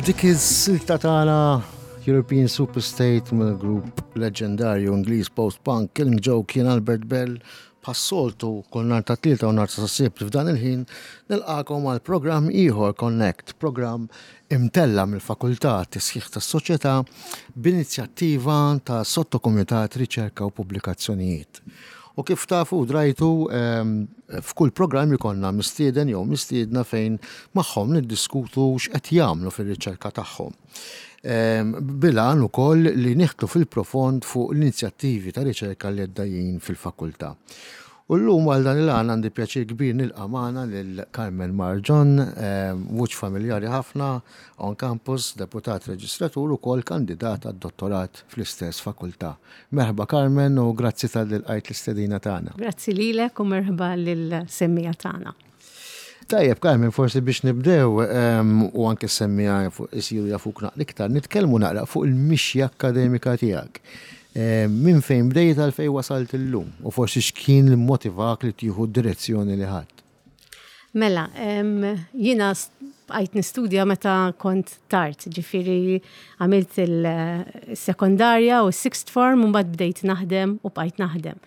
B'dik is-silta tagħna European Superstate mill-grupp leġendarju Ingliż post-punk Killing Joke kien Albert Bell bħas-soltu kull nhar ta' Tlieta u nhar ta' Sibt f'dan il-ħin nilqakom għal programm ieħor Connect, programm imtella' mill-Fakultà Tisħiħ tas-Soċjetà b'inizjattiva ta' Sottokumitat Riċerka u Pubblikazzjonijiet. U kif tafu u drajtu, f'kull programm ikollna mistieden jew mistiedna fejn magħhom niddiskutu x'qed jagħmlu fir-riċerka tagħhom. Bil-għan ukoll li nieħdlu fil-profond fuq l-inizjattivi ta' riċerka li għaddejjin fil-fakultà. U llum għal dan il-għan għandi pjaċir kbir nilqa' magħna lil Carmen Marġon, wiċċ familjari ħafna on campus, deputat reġistratur ukoll kandidat għad-dottorat fl-istess fakultà. Merħba Carmen u grazzi talli lqajt l-istedina tagħna. Grazzi lilek u merħba lill-semmiegħa tagħna. Tajjeb Carmen, forsi biex nibdew u anke s-semmiegħa isiru jafuk naqra iktar, nitkellmu naqra fuq il-mixja akkademika tiegħek. Minn fejn bdejt għal fejn wasalt illum u forsi x'kien li mmotivak li tieħu d-direzzjoni li ħadt? Mela, jiena bqajt nistudja meta kont tard, ġifieri għamilt il-sekondarja u s-sixth form u mbagħad bdejt naħdem u bqajt naħdem.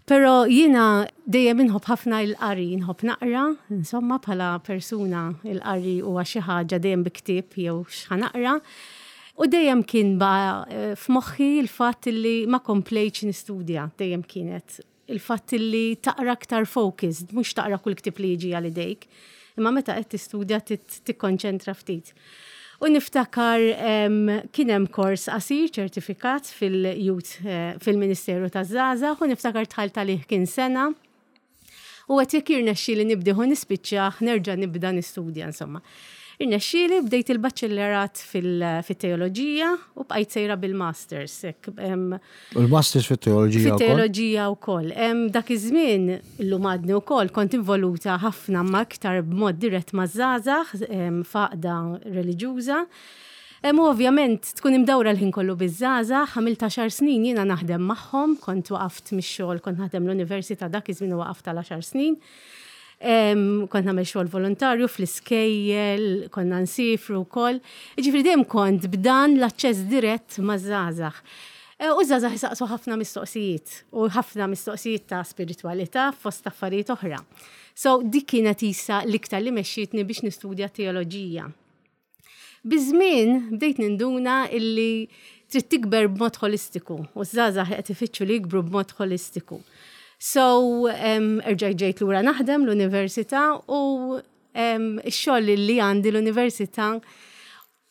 Però jiena dejjem inħobb ħafna il-qari, inħobb naqra, insomma bħala persuna il-qari huwa xi ħaġa dejjem bi ktieb jew x'ħa naqra. U dejjem kien baqa' eh, f'moħħi l-fatt li ma komplejtx nistudja, dejjem kienet il-fatt li taqra aktar focused, mhux taqra kull ktieb li jiġi għal idejk, imma meta qed tistudja tikkonċentra ftit. U niftakar kien hemm kors qasir ċertifikat fil-Youth eh, fil-Ministeru taż-Żgħażagħ u niftakar dħalt għalih kien sena. U għedt jekk jirnexxieli nibdih u nispiċċah nerġa' nibda nistudja insomma. Irnexxieli bdejt il-baċellerat fit-teoloġija u bqajt sejra bil-masters. U l-masters fit-teoloġija wkoll? Fit-teoloġija wkoll. Dak iż-żmien, illum għadni wkoll, kont involuta ħafna ma iktar b'mod dirett maż-żgħażagħ f'għaqda reliġjuża. U ovvjament tkun imdawra l-ħin kollu biż-żgħażagħ, għamilt għaxar snin jiena naħdem magħhom, kont waqaft mix-xogħol, kont naħdem l-università dak iż-żmien u waqaft għal għaxar snin. Kont nagħmel xogħol volontarju fl-iskejjel, konna nsifru wkoll. Jiġifieri dejjem kont b'dan l-aċċess dirett maż-żgħażagħ. E, u ż-żgħażagħ isaqsu ħafna mistoqsijiet u ħafna mistoqsijiet ta' spiritwalità fost affarijiet oħra. So dik kienet isa l-iktar li mexxietni biex nistudja teoloġija. Biż-żmien bdejt ninduna illi trid tikber b'mod ħolistiku u ż-żgħażagħ qed ifittxu li jikbru b'mod ħolistiku. So, erġajt ġejt lura naħdem l-università u x-xogħol li għandi l-università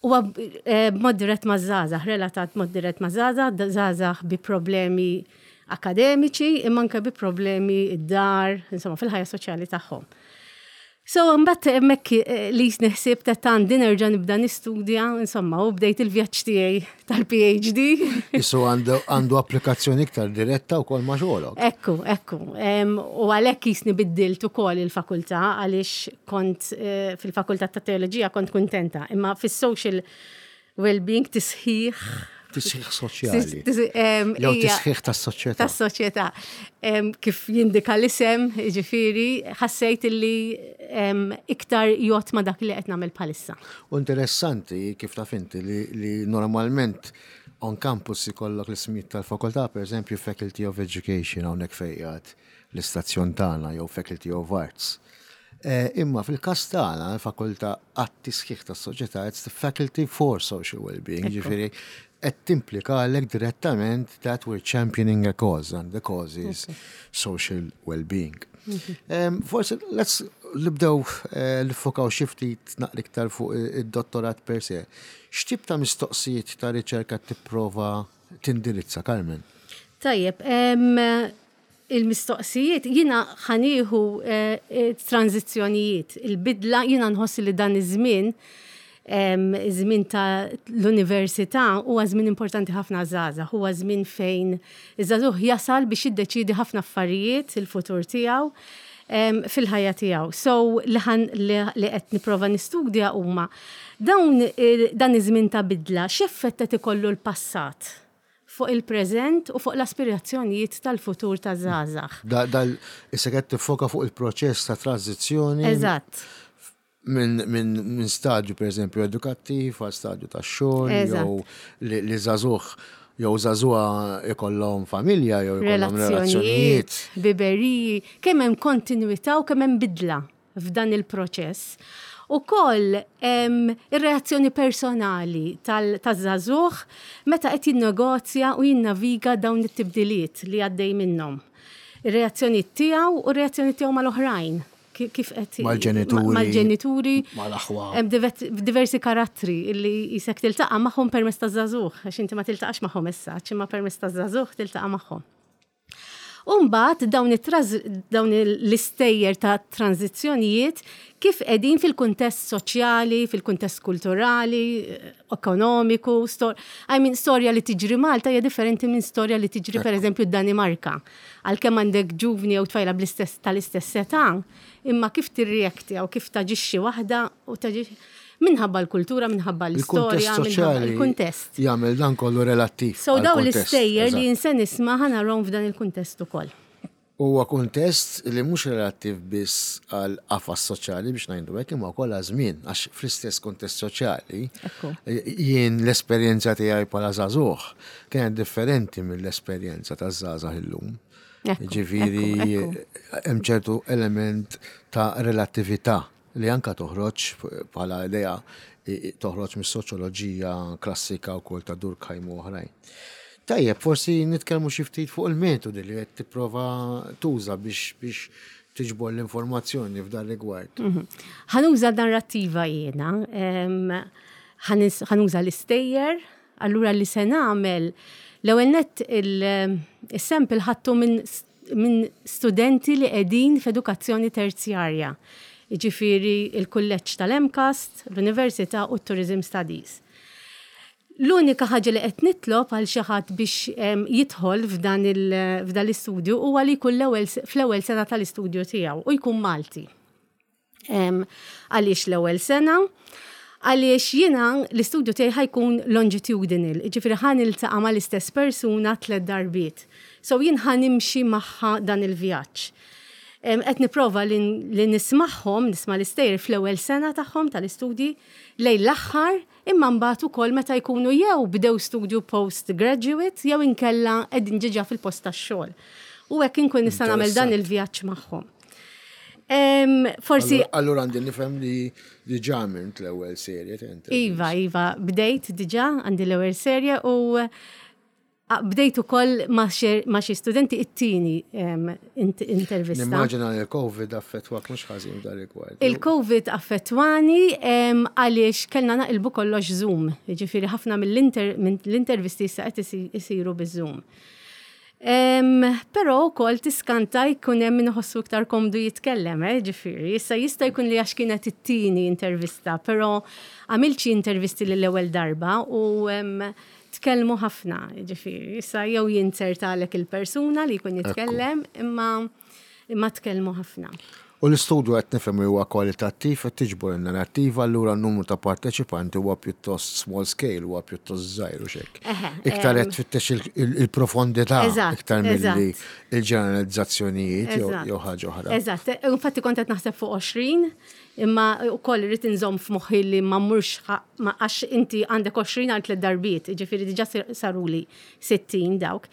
huwa eh, b'mod dirett maż-żgħażagħ, relatat b'mod dirett maż-żgħażagħ, żgħażagħ bi problemi akademiċi imma anke bi problemi id-dar, insomma fil-ħajja soċjali tagħhom. So, mbagħad hemmhekk eh, li jisni ħsieb ta' għandi nerġa' nibda nistudja, insomma, u bdejt il-vjaġġ tiegħi tal-PhD. Isu għandu applikazzjoni iktar diretta wkoll ma' xogħolok. Ekku, ekku. U għalhekk jisni biddilt ukoll il-fakultà għaliex kont eh, fil-fakultà ta' teoloġija kont kuntenta, imma fis-social well-being tisħiħ. Tisħiħ soċjali. Jew tisħiħ tas-soċjetà. Tas-soċjetà. Kif jindika l-isem, ġifieri, ħassejt li iktar jgħod ma' dak li qed nagħmel bħalissa. U interessanti kif taf inti li normalment on campus ikollok l-ismijiet tal-fakultà, per eżempju Faculty of Education hawnhekk fejn qiegħed l-istazzjon tagħna jew Faculty of Arts. Eh, imma fil-każ tagħna, l-fakultà għat-tisħiħ tas-soċjetà, it's the Faculty for Social Wellbeing, ġifieri qed timplikalek direttament that we're championing a cause and the cause is social well-being. Mhm. Forsi let's nibdew eh, nifokaw xi ftit naqra iktar fuq id-dottorat per se. X'tip ta' mistoqsijiet ta' riċerka tipprova tindirizza, Carmen? Tajjeb, il-mistoqsijiet, jiena ħa nieħu eh, tranzizzjonijiet, il-bidla, jiena nħoss li dan iż-żmien, iż-żmien ta' l-università huwa żmien importanti ħafna żgħażagħ, huwa żmien fejn iż-żagħżugħ jasal biex jiddeċiedi ħafna affarijiet il-futur tiegħu fil-ħajja tiegħu. So li li qed nipprova nistudja huma dawn dan iż-żmien ta' bidla x'effett qed ikollu l-passat fuq il-preżent u fuq l-aspirazzjonijiet tal-futur taż-żgħażagħ. Dal issa qed tiffoka fuq il-proċess ta' tranżizzjoni. Eżatt. Minn stadju per eżempju edukattiv għal stadju ta' xogħol jew li żagħżugħ jew żagħżugħa ikollhom familja jew ikollhom relazzjonijiet. Biberiji, kemm hemm kontinwità u kemm hemm bidla f'dan il-proċess. Ukoll ir-reazzjoni personali taż-żagħżugħ meta qed jinnegozja u jinnaviga dawn it-tibdiliet li għaddej minnhom. Ir-reazzjonijiet tiegħu u r-reazzjoni tiegħu mal-oħrajn. Kif qed Mal-ġenituri. Mal-ġenituri. Mal-aħwa. Hemm diversi karattri li jisek tiltaqa' magħhom permezz taż-żagħżugħ, għax inti ma tiltaqax magħhom issa, imma permezz taż-żagħżugħ tiltaqa' magħhom. U mbagħad dawn dawn l-istejjer ta' tranżizzjonijiet kif qegħdin fil-kuntest soċjali, fil-kuntest kulturali, ekonomiku, I mean, storja li tiġri Malta hija differenti minn storja li tiġri pereżempju d-Danimarka. Għalkemm għandek ġuvni jew tfajla bl-istess tal-istess età, imma kif tirreacti jew kif taġixxi waħda u taġixxi minħabba l-kultura, minħabba l-istorja, minħabba il-kuntest. Jagħmel dan kollu relattiv. So dawn l-istejjer li jien se nisma' ħa narahom f'dan il-kuntest ukoll. Huwa kuntest li mhux relattiv biss għal qafas soċjali biex ngħidu hekk imma wkoll għaż-żmien għax fl-istess kuntest soċjali jien l-esperjenza tiegħi bħala żagħżugħ kienet differenti mill-esperjenza taż-żgħażagħ illum. Ġifieri hemm ċertu element ta' relattività li anke toħroġ bħala idea toħroġ mis-soċjoloġija klassika wkoll ta' Durkheim u oħrajn. Tajjeb, forsi nitkellmu xi ftit fuq il-metodi li qed tipprova tuża biex biex tiġbor l-informazzjoni f'dan rigward. Mhm. Ħa nuża narrattiva jiena, ħa nuża l-istejjer, allura li se nagħmel l-ewwel nett il-sample ħadtu minn minn studenti li qegħdin f'edukazzjoni terzjarja, jiġifieri l-Kulleġġ tal-MCAST, l-Università u t-Tourism Studies. L-unika ħaġa li qed nitlob għal xi ħadd biex jidħol f'dan l-istudju huwa li jkun fl-ewwel sena tal-istudju tiegħu u jkun Malti. Għaliex l-ewwel sena? Għaliex jiena l-istudju tiegħi ħa jkun longitudinal, jiġifieri ħa niltaqa' mal-istess persuna tlett darbiet. So jien ħa nimxi magħha dan il-vjaġġ. Qed nipprova li nismagħhom, nisma' l-istejjer fl-ewwel sena tagħhom tal-istudji, lejn l-aħħar, imma mbagħad ukoll meta jkunu jew bdew studju post-graduate jew inkella qegħdin diġà fil-post tax-xogħol. U hekk inkun nista' nagħmel dan il-vjaġġ magħhom. Forsi. Allura għandi nifhem li diġà għamilt l-ewwel serje ta' interviews. Iva, iva, bdejt diġà għandi l-ewwel serje u bdejt ukoll ma' xi studenti it-tieni intervista. Nimmaġina li l-Covid affettwak mhux ħażin f'dan rigward. Il-Covid affettwani għaliex kellna naqilbu kollox Zoom. Jiġifieri ħafna mill-intervisti issa qed isiru biż-Zoom. Però wkoll tiskanta jkun hemm min iħossu iktar komdu jitkellem, eh, ġifieri. Issa jista' jkun li għax kienet it-tieni intervista, però għamilt xi intervisti lill-ewwel darba u tkellmu ħafna, ġifieri. Issa jew jinzertalek il-persuna li jkun jitkellem, imma imma tkellmu ħafna. U l-istudju qed nifhem li huwa kwalitattiv, qed tiġbor in-narrattiva, allura n-numru ta' parteċipanti huwa pjuttost small scale, huwa pjuttost żgħir u x'hekk. Iktar qed tfittex il-profondità iktar milli il-ġeneralizzazzjonijiet jew ħaġa oħra. Eżatt, infatti kont qed naħseb fuq 20, imma wkoll irrid inżomm f'moħħi li ma mmurx għax inti għandek 20 għal tlett darbiet, jiġifieri diġà saruli 60 dawk.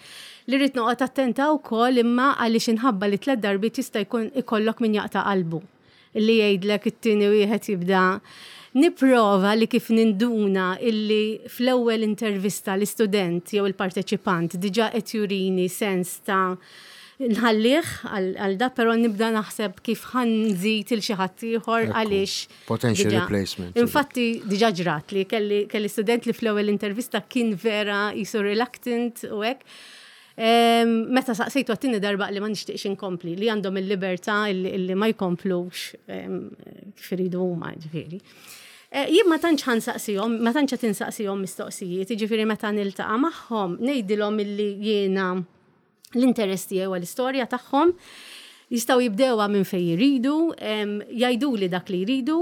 Li rrid noqgħod attenta wkoll imma għaliex inħabba li tlett darbiet jista' jkun ikollok min jaqta' qalbu. Li jgħidlek it-tieni wieħed jibda nipprova li kif ninduna illi fl-ewwel intervista l-istudent jew il-parteċipant diġà qed jurini sens ta' nħallih għal da, però nibda naħseb kif ħa nżid il xi ħadd ieħor għaliex Potential replacement. Infatti, diġa ġrat li kelli student li fl-ewwel intervista kien vera jisu reluctant u hekk. Meta saqsejtu għat-tieni darba li ma nixtieqx inkompli, li għandhom il-libertà li ma jkomplux kif iridu huma, ġifieri. Eh, jien ma tantx ħansaqsihom, ma tantx qed insaqsihom mistoqsijiet, jiġifieri meta niltaqa' magħhom ngħidilhom illi jiena l-interess tiegħi huwa l-istorja tagħhom. Jistgħu jibdewha minn fejn jridu, jgħiduli dak li jridu.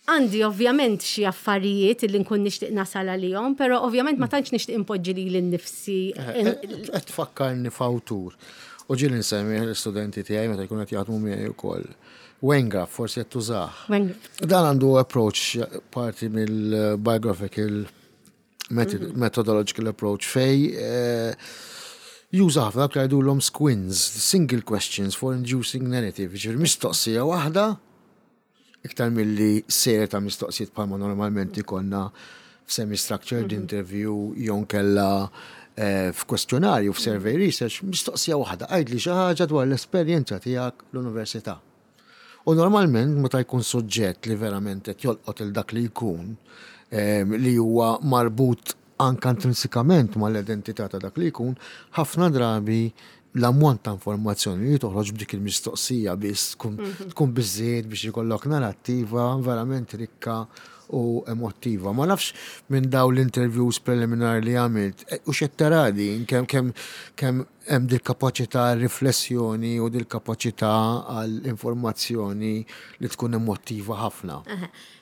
Għandi ovvjament xi affarijiet li nkun nixtieq nasal għalihom, però ovvjament ma tantx nixtieq inpoġġi lili nnifsi. Eh, eh, qed tfakkarni f'awtur. U ġieli nsemmi l-istudenti tiegħi meta jkunu qed jaħdmu miegħi wkoll. Wengraf, forsi qed tużah. Dan għandu approach parti mill-biographical methodological approach fej eh, juża ħafna dak li jgħidulhom squins, single questions for inducing narrative, ġifieri mistoqsija waħda iktar milli serje ta' mistoqsijiet bħalma normalment ikollna f'semi-structured interview jew nkella eh, f'kwestjonarju f'survey research, mistoqsija waħda, għidli xi ħaġa dwar l-esperjenza tiegħek l-università. U normalment meta jkun suġġett li verament qed jolqot il dak li jkun eh, li huwa marbut anke intrinsikament mal-identità ta' dak li jkun, ħafna drabi l-ammont ta' informazzjoni li toħroġ b'dik il-mistoqsija biss tkun mhm. biżżejjed biex ikollok narrattiva verament rikka u emottiva. Ma nafx minn daw l-interviews preliminari li għamilt, e, u xed tara din kemm kemm kemm hemm dil kapaċità riflessjoni u dil kapaċità għal informazzjoni li tkun emottiva ħafna.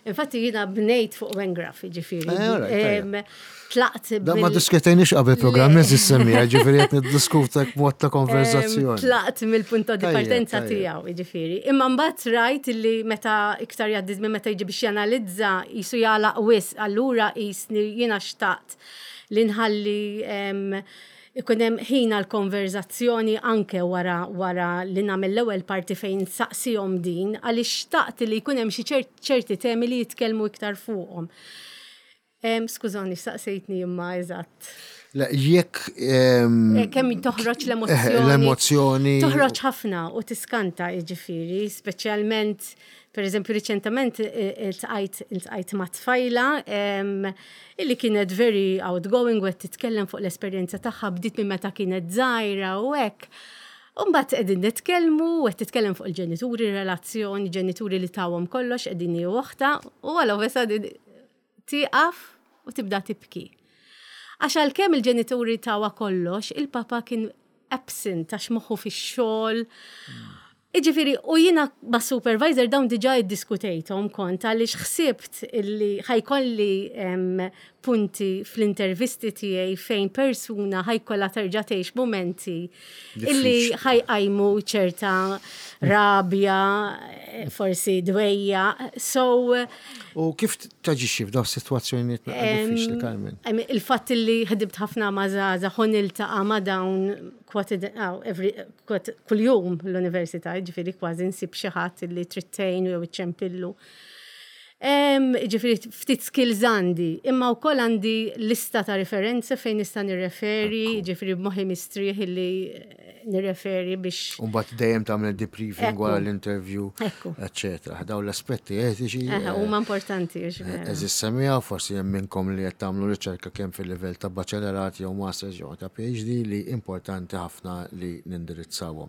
Infatti jiena bnejt fuq Wengraf, ġifieri. Eh, tlaqt. Da ma diskutejniex qabel programm eżis semmija, ġifieri qed niddiskuta mod ta' konverzazzjoni. Tlaqt mill-punt ta' partenza tiegħu, ġifieri. Imma mbagħad rajt li meta iktar jgħaddi minn meta jiġi biex janalizza jisu jagħlaq wisq, allura qisni jiena xtaqt li nħalli ikun hemm ħin għal konverzazzjoni anke wara wara li nagħmel l-ewwel parti fejn nsaqsihom din għaliex xtaqt li jkun hemm xi ċerti temi li jitkellmu iktar fuqhom. Skużani, saqsejtni imma eżatt. Le, jekk. Eh, kemm toħroġ l-emozzjoni. L-emozzjoni. Toħroġ ħafna u tiskanta jiġifieri, speċjalment, per eżempju, riċentament eh, iltqajt iltqajt ma' tfajla illi kienet very outgoing u qed titkellem fuq l-esperjenza tagħha bdiet minn meta kienet żgħira u hekk. U mbagħad qegħdin nitkellmu u qed titkellem fuq il-ġenituri, relazzjoni, ġenituri li tawhom kollox qegħdin hi u oħtha u all of a sudden tieqaf u tibda tibki. Għax għalkemm il-ġenituri tawha kollox, il-papa kien absent għax moħħu fix-xogħol. Iġifieri, u jiena ma' supervisor dawn diġà iddiskutejthom kont għaliex ħsibt illi ħajkolli punti fl-intervisti tiegħi fejn persuna ħajkollha terġa' tgħix mumenti illi ħajqajmu ċerta rabja, forsi dwejja. So U kif taġixxi f'dawn is-sitwazzjonijiet diffiċli, Carmen? Il-fatt li ħdimt ħafna ma' żgħażagħ u niltaqa' ma' dawn kuljum l-università, ġifieri kważi nsib xi ħadd li trid tgħinu jew iċċempillu. Ġifieri ftit skills għandi, imma wkoll għandi lista ta' referenze fejn nista' nirreferi, ġifieri b'moħħi mistrieħ illi nirreferi biex. U mbagħad dejjem tagħmel debriefing wara l-interview, eċċetera. Dawn l-aspetti etiċi. Eh, huma importanti. Eżis semmiha forsi hemm minnkom li qed tagħmlu riċerka kemm fil-livell ta' baċellerat jew masters jew ta' PhD li importanti ħafna li nindirizzawhom.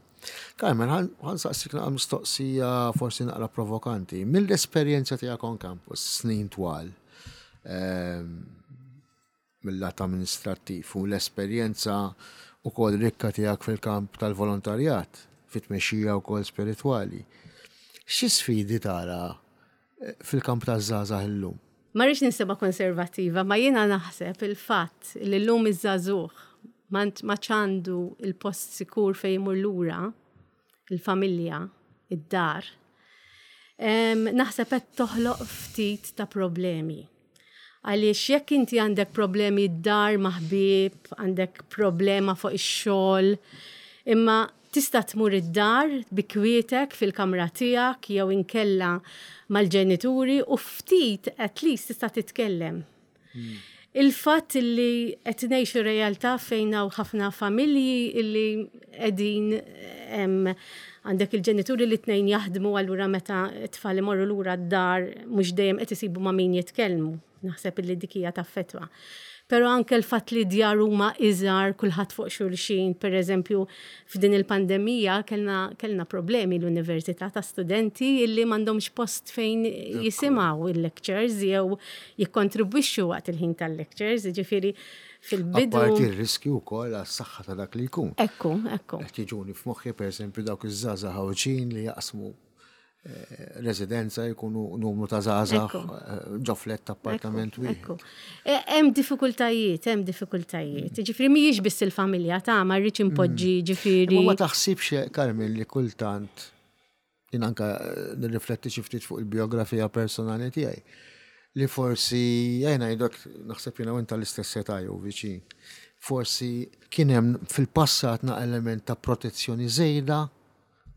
Carmen, ħa nsaqsik naqra mistoqsija forsi naqra provokanti. Mill-esperjenza tiegħek on campus, snin twal, ehm, mill-lat amministrattiv u l-esperjenza wkoll rikka tiegħek fil-kamp tal-volontarjat, fit-tmexxija wkoll spiritwali. Xi sfidi tara eh, fil-kamp taż-żgħażagħ illum? Ma rridx ninsema konservattiva, ma jiena naħseb il-fatt li llum iż-żagħżugħ ma għandu il-post sikur fejn imur lura, il-familja, id-dar, naħseb qed toħloq ftit ta' problemi. Għaliex jekk inti għandek problemi d-dar ma' ħbieb, għandek problema fuq ix-xogħol, imma tista' tmur id-dar bi kwietek fil-kamra tiegħek jew inkella mal-ġenituri u ftit at least tista' titkellem. Il-fatt li qed ngħixu realtà fejn hawn ħafna familji illi qegħdin għandek il-ġenituri li tnejn jaħdmu allura meta t-tfal imorru lura d-dar mhux dejjem qed isibu ma' min jitkellmu. Naħseb illi dik hija taffettwa. Però anke l-fatt li d-djar huma iżgħar kulħadd fuq xulxin, per eżempju, f'din il-pandemija kellna kellna problemi l-università ta' studenti illi m'għandhomx post fejn jisimgħu il-lectures jew jikkontribwixxu waqt il-ħin tal-lectures, jiġifieri fil-bidu. Apparti r-riskju wkoll għas-saħħa ta' dak li jkun. Ekku, ekku. Qed jiġuni f'moħħi pereżempju dawk iż-żgħażagħ Għawdxin li jaqsmu. residenza jkunu numru ta' żgħażagħ ġo flett appartament wieħed. Hemm diffikultajiet, hemm diffikultajiet. Ġifieri mhijiex biss il-familja ta' ma rridx impoġġi ġifieri. Ma taħsibx Carmen li kultant jien anka nirrifletti xi ftit fuq il-biografija personali tiegħi li forsi jgħina ngħidlek naħseb jiena u inta l-istess età jew viċin. Forsi kien hemm fil-passat na element ta' protezzjoni żejda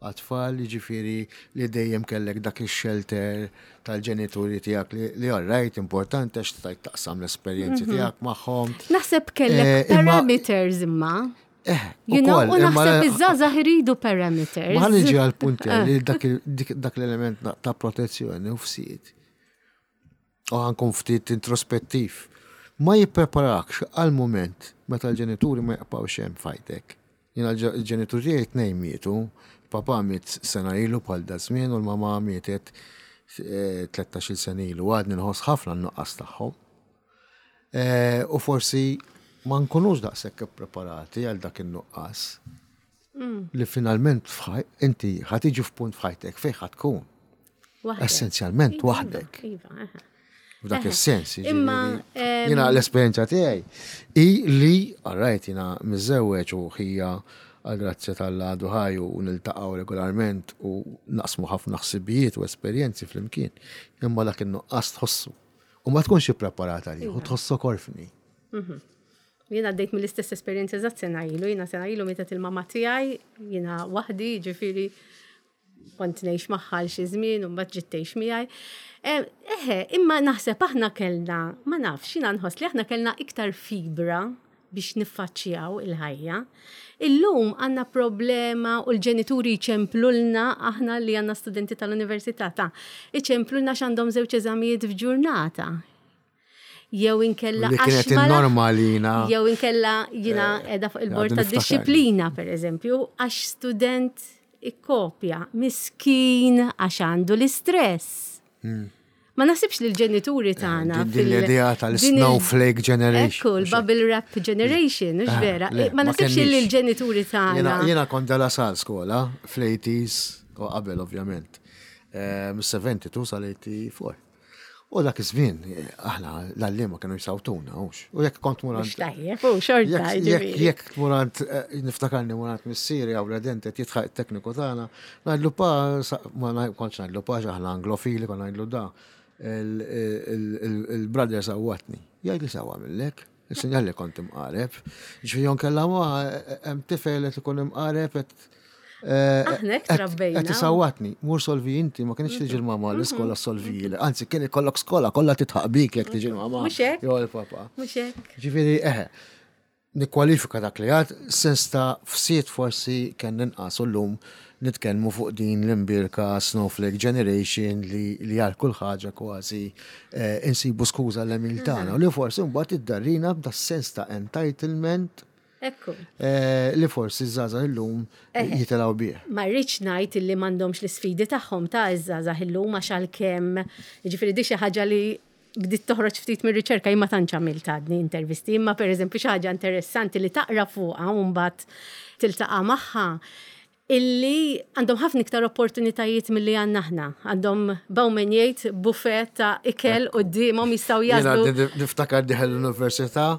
għat-tfal, jiġifieri li dejjem kellek dak ix-shelter tal-ġenituri tiegħek li all right, importanti għax stajt taqsam l-esperjenzi tiegħek magħhom. Naħseb kellek parameters imma. You know, u naħseb iż-żgħażagħ iridu parameters. Ma niġi għall-punt li dak l-element ta' protezzjoni u fsied. U ħa nkun ftit introspettiv. Ma jippreparakx għal moment meta l-ġenituri ma jibqgħux hemm f'ħajtek. Jiena l-ġenituri tiegħi tnejn mietu, papa miet sena ilu bħal da żmien u l-mama mietet 13-il sena ilu, għadni nħoss ħafna n-nuqqas tagħhom. U forsi ma nkunux daqshekk ippreparati għal dak in-nuqqas. Li finalment inti ħa tiġi f'punt f'ħajtek fejn ħa tkun. Essenzjalment waħdek. F'dak is-sens. Imma jiena l-esperjenza tiegħi hi li alright jiena miżżewweġ u ħija għall-grazzja t'Alla għadu ħaj u niltaqgħu regolarment u naqsmu ħafna ħsibijiet u esperjenzi flimkien. Imma dak in-nuqqas tħossu. U ma tkunx ippreparat għalih u tħossok orfni. Jiena għaddejt mill-istess esperjenza eżatt sena ilu, jiena sena ilu mietet il-mama tiegħi, jiena waħdi, ġifieri kont ngħix magħha għal xi żmien u mbagħad ġiet tgħix miegħi. Eħe, imma naħseb aħna kellna, ma nafx, jiena nħoss li aħna kellna iktar fibra biex niffaċċjaw il-ħajja. Illum għandna problema u l-ġenituri jċemplulna aħna li għandna studenti tal-università ta' iċemplulna x'għandhom żewġ eżamijiet f'ġurnata. Jew inkella Li kienet in-normalina. Jew inkella jiena qiegħda fuq il-bord tad-dixxiplina, per eżempju, għax student ikkopja miskin għax għandu l-istress. Ma naħsibx li l-ġenituri tagħna. Din l-idea tal-snowflake generation. Ekku, l-bubble wrap generation, mhux vera. Ma naħsibx li l-ġenituri tagħna. Jiena kont De La Salle skola fl-80s u qabel ovvjament. Mis-72 sal-84. U dak iż-żmien aħna l-għalliema kienu jsawtuna, hux. U jekk kont mur għand. Tajjeb, u xorta. Jekk tmur għand, niftakarni mur għand missieri għaw redent qed jitħaq it-tekniku tagħna, ngħidlu pa, ma kontx ngħidlu pa aħna anglofili, konna ngħidlu da, il-brother sawwatni. Jgħidli sewwa għamillek. Il-sinjal li kont imqareb. Ġifieri jon kellha ma hemm tifel qed ikun imqareb qed Aħna hekk trabbejna. Qed isawwatni, mur solvi inti, ma kienx tiġi l-mama l-iskola solvi. Anzi, kien ikollok skola kollha titħaq bik jekk tiġi l-mama. Mhux hekk. Jew il-papa. Mhux hekk. Ġifieri eħe, nikkwalifika dak li għad, sens ta' fsied forsi kien inqas u llum nitkellmu fuq din l-imbierka snowflake generation li għal kull ħaġa kważi insibu skuża l-għemil tagħna u li forsi mbagħad iddarrina b'da sens ta' entitlement Ekku. Li forsi ż-żgħażagħ illum jitilgħu bih. Ma rridx ngħid illi m'għandhomx l-isfidi tagħhom ta' iż-żgħażagħ illum għax għalkemm, jiġifieri di xi ħaġa li bdiet toħroġ ftit mir-riċerka, jien ma tantx għamilt għadni intervisti, imma pereżempju xi ħaġa interessanti li taqra fuqha u mbagħad tiltaqa' magħha, illi għandhom ħafna iktar opportunitajiet milli għandna aħna. Għandhom Bauman jgħid buffet ta' ikel quddiemhom jistgħu jagħżlu. Jiena niftakar dieħel l-università,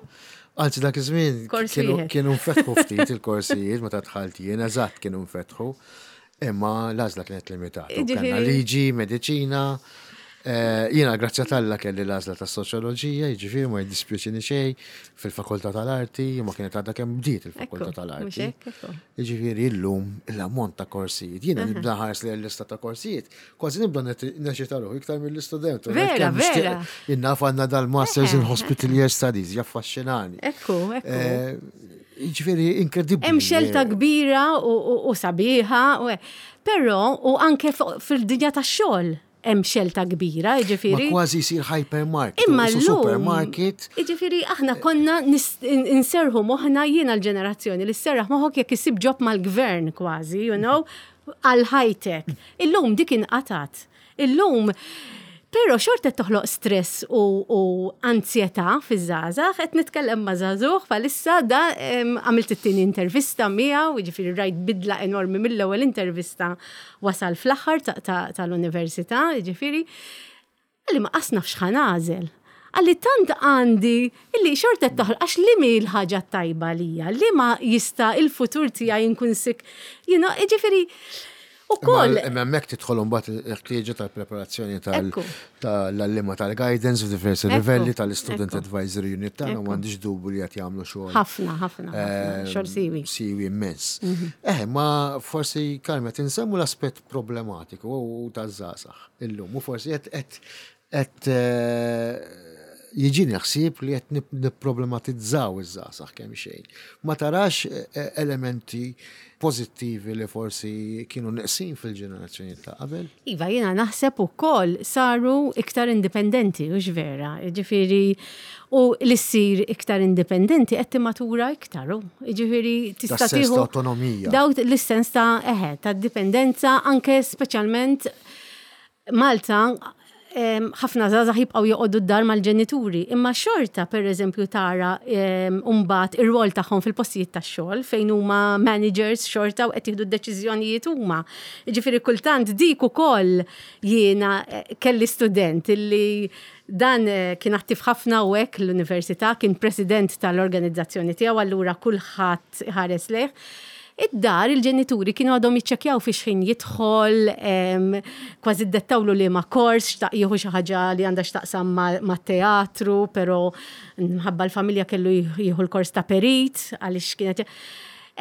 anzi dak iż-żmien kienu nfetħu ftit il-korsijiet meta dħalt jien, eżatt kienu nfetħu, imma l-għażla kienet limitata. Kellna liġi, mediċina, Jiena grazzja t'Alla kelli l-għażla tas-soċjoloġija, jiġifieri ma jiddispjaċini xejn fil-Fakultà tal-Arti, ma kienet għadha kemm bdiet il-Fakultà tal-Arti. Jiġifieri llum l-ammont ta' korsijiet, jiena nibda nħares lejn l-lista ta' korsijiet, kważi nibda neċita ruħi iktar mill-istudent. Vera, vera. Jien naf għandna dal-Masters in Hospitalier Studies, jaffaxxinani. Ekku, ekku. Jiġifieri inkredibbli. Hemm xelta kbira u sabiħa, però u anke fil-dinja tax-xogħol. Hemm xelta kbira, jiġifieri. Ma kważi jsir hypermarket. Imma llum. Supermarket. Jiġifieri aħna konna nserrħu moħħna jiena l-ġenerazzjoni li sserraħ moħħok jekk issib job mal-gvern kważi, you know, għal ħajtek. Illum dik inqatgħet. Illum Però xorta qed toħloq stress u, u anzjetà fiż-żgħażagħ, qed nitkellem ma' żagħżugħ bħalissa da għamilt it-tieni intervista miegħu, jiġifieri rajt bidla enormi mill-ewwel intervista wasal fl-aħħar tal-università, jiġifieri Qalli ma qas naf x'ħa nagħżel. Qalli tant għandi illi xorta qed toħloq għax li mhi l-ħaġa t-tajba għalija, li ma jista' il-futur tiegħi nkun sik, you know, jiġifieri ukoll. Imma hemmhekk tidħol imbagħad il-ħtieġa tal-preparazzjoni tal-għalliema tal-guidance f'diversi livelli tal-Student Advisory Unit tagħna u m'għandix dubju li qed jagħmlu xogħol. Ħafna, ħafna, ħafna, xogħol siwi. Siwi immens. Eh, ma forsi Carmen qed insemmu l-aspett problematiku u taż-żgħażagħ. illum u forsi qed qed qed eh, jiġini ħsieb li qed nipproblematizzaw iż-żgħażagħ kemm xejn. Ma tarax eh, eh, elementi pożittivi li forsi kienu neqsin fil-ġenerazzjoni ta' qabel? Iva, jiena naħseb ukoll saru iktar indipendenti, u vera, ġifieri u li ssir iktar indipendenti qed timmatura iktar, u ġifieri tista' tieħu autonomija. Daw l-sens ta' eħe, ta' dipendenza anke speċjalment Malta ħafna żgħażagħ jibqgħu joqogħdu d-dar mal-ġenituri, imma xorta pereżempju tara mbagħad ir-rwol tagħhom fil-postijiet tax-xogħol fejn huma managers xorta u qed jieħdu d-deċiżjonijiet huma. Jiġifieri kultant dik ukoll jiena eh, kelli student illi dan eh, kien attiv ħafna u hekk l-università, kien president tal-organizzazzjoni tiegħu allura kulħadd ħares lejh. Id-dar il-ġenituri kienu għadhom jiċċekkjaw fi x'ħin jidħol, kważi ddettawlu liema kors, xtaq jieħu xi ħaġa li għandha x'taqsam mat-teatru, però minħabba l-familja kellu jieħu l-kors ta' perit għaliex kienet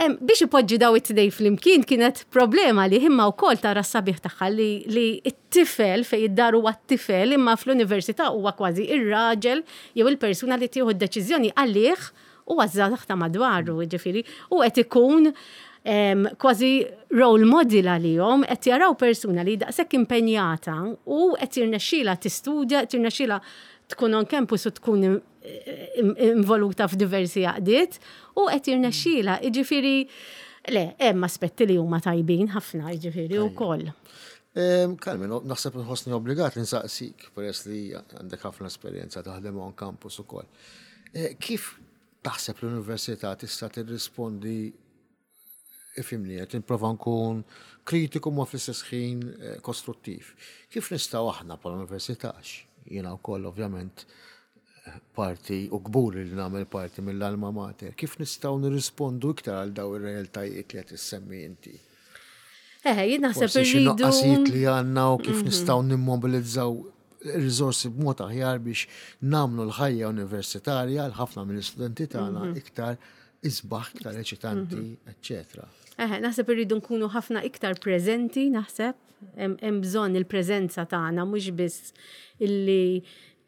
Biex ipoġġi daw it-tnejn flimkien kienet problema li imma wkoll tara s-sabiħ tagħha li t-tifel fejn id-dar huwa t-tifel imma fl-università huwa kważi ir-raġel jew il-persuna li tieħu d-deċiżjoni għalih u għaż-żgħażagħ ta' madwaru, jiġifieri, u qed ikun kważi role model għalihom, qed jaraw persuna li daqshekk impenjata u qed jirnexxielha tistudja, qed jirnexxielha tkun on campus u tkun involuta f'diversi għaqdiet u qed jirnexxielha, jiġifieri, le, hemm aspetti li huma tajbin ħafna, jiġifieri wkoll. Carmen, naħseb nħossni obbligat li nsaqsik, peress li għandek ħafna esperjenza taħdem on campus ukoll. Eh, kif taħseb l-università tista' tirrispondi ifimni qed nipprova nkun kritiku ma fl-istess ħin eh, kostruttiv. Kif nistgħu aħna bħala università jiena wkoll ovvjament eh, parti u kburi li nagħmel parti mill-alma mater, kif nistgħu nirrispondu iktar għal daw ir-realtajiet li qed issemmi inti? Eh, jien naħseb irridu. Nuqqasijiet li għandna u kif mhm. nistgħu nimmobilizzaw riżorsi b'mod aħjar biex nagħmlu l-ħajja universitarja għal ħafna mill-istudenti tagħna mhm. iktar isbaħ, iktar eċitanti, mhm. eċċetera. Eh, naħseb irridu nkunu ħafna iktar preżenti, naħseb, hemm bżonn il-preżenza tagħna mhux biss illi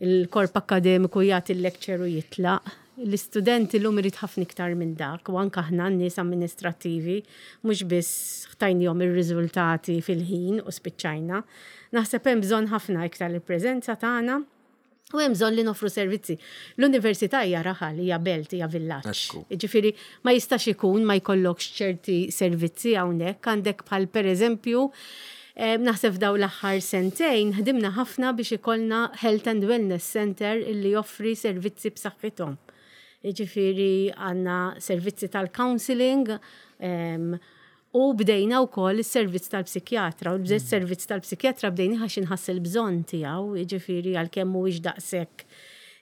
il-korp akkademiku jagħti l-lecture u jitlaq. L-istudent illum irid ħafna iktar minn dak u anke aħna n-nies amministrattivi mhux biss ħtajnihom ir-riżultati fil-ħin u spiċċajna. Naħseb hemm bżonn ħafna iktar il-preżenza tagħna u hemm bżonn li noffru servizzi. L-università hija raħal, hija belt, hija villaġġ. Jiġifieri ma jistax ikun ma jkollokx ċerti servizzi hawnhekk. Għandek bħal pereżempju naħseb f'dawn l-aħħar sentejn ħdimna ħafna biex ikollna Health and Wellness Center illi joffri servizzi b'saħħithom. Jiġifieri għandna servizzi tal-counselling u bdejna wkoll is-servizz tal-psikjatra u l-servizz tal-psikjatra bdejnih għax inħass il-bżonn tiegħu, jiġifieri għalkemm mhuwiex daqshekk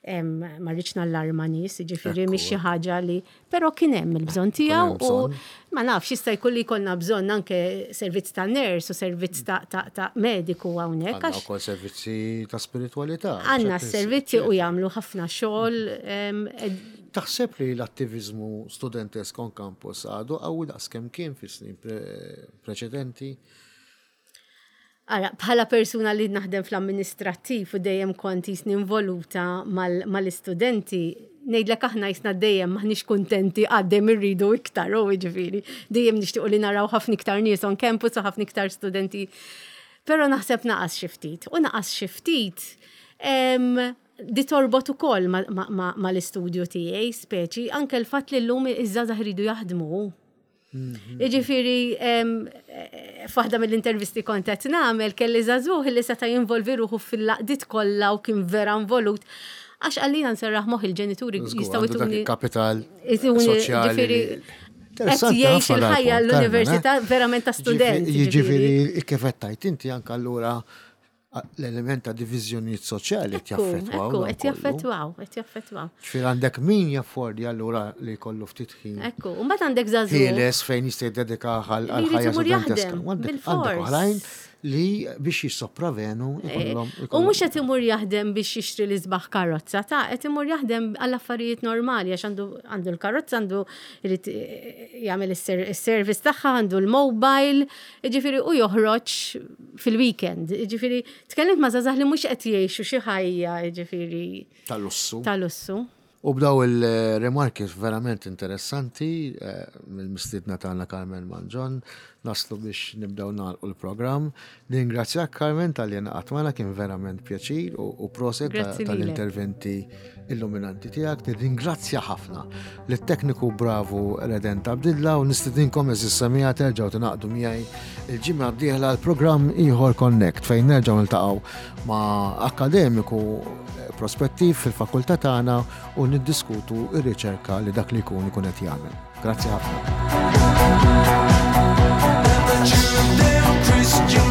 ma rridx nallarma nies, jiġifieri mhix xi ħaġa li Però kien hemm il-bżonn tiegħu u ma nafx jista' jkun li jkollna bżonn anke servizz ta' nurse u servizz ta' mediku hawnhekk. Għandna wkoll servizzi ta' spiritwalità. Għandna servizzi u jagħmlu ħafna xogħol. Taħseb li l-attiviżmu studentesk on campus għadu qawwi daqs kemm kien fis-snin preċedenti? Ara, bħala persuna li naħdem fl-amministrattiv u dejjem kont jisni involuta mal-istudenti, ngħidlek aħna jisna dejjem maħniex kuntenti għaddem irridu iktar, u jiġifieri, dejjem nixtiequ li naraw ħafna iktar nies on campus u ħafna iktar studenti. Però naħseb naqas xi ftit. U naqas xi ftit di torbot ukoll mal-istudju tiegħi, speċi, anke l-fatt li llum iż-żgħażagħ iridu jaħdmu. Mhm. Jiġifieri F'waħda mill-intervisti kont qed nagħmel kelli żagħżugħ li seta' jinvolvi ruħu fil-laqdiet kollha u kien vera involut. Għax għallina nserraħ moħħ il-ġenituri jistgħu jtuni. Kapital soċjali. Qed jgħix il-ħajja l-università eh? verament ta' student. Jiġifieri kif qed tgħid inti anke allura l-element ta' diviżjonijiet soċjali qed jaffettwaw. Qed jaffettwaw, qed jaffettwaw. Ġifieri għandek min jaffordi allura li jkollu ftit ħin. Ekku, u mbagħad għandek żagħżugħ. Ħieles fejn jista' jiddedika għal ħajja studenteska. Għandek oħrajn li biex jissopravenu eh, ikollhom. U mhux qed imur jaħdem biex jixtri l-isbaħ karozza, ta' qed imur jaħdem għall affarijiet normali għax għandu għandu l-karozza għandu jrid eh, jagħmel is-service tagħha, għandu l-mobile, jiġifieri u joħroġ fil-weekend. Jiġifieri tkellimt ma' żgħażagħ li mhux qed jgħixu xi ħajja, jiġifieri. Tal-lussu. Tal-lussu. U b'daw il-rimarki verament interessanti eh, mill-mistiedna tagħna Carmen Manġon, naslu biex nibdew nagħlqu l-programm. Ningrazzjak Carmen tal-li ngħaqadt magħna kien verament pjaċir u proset tal-interventi illuminanti tiegħek. Nirringrazzja ħafna lit-tekniku bravu Redent Abdilla u nistidinkom eżis semija terġgħu tingħaqdu miegħi il-ġimgħa d-dieħla l-programm ieħor Connect fejn nerġgħu niltaqgħu ma' akkademiku prospettiv fil-fakultà tagħna u niddiskutu r-riċerka li dak li jkun ikun qed jagħmel. Grazzi ħafna. Christian.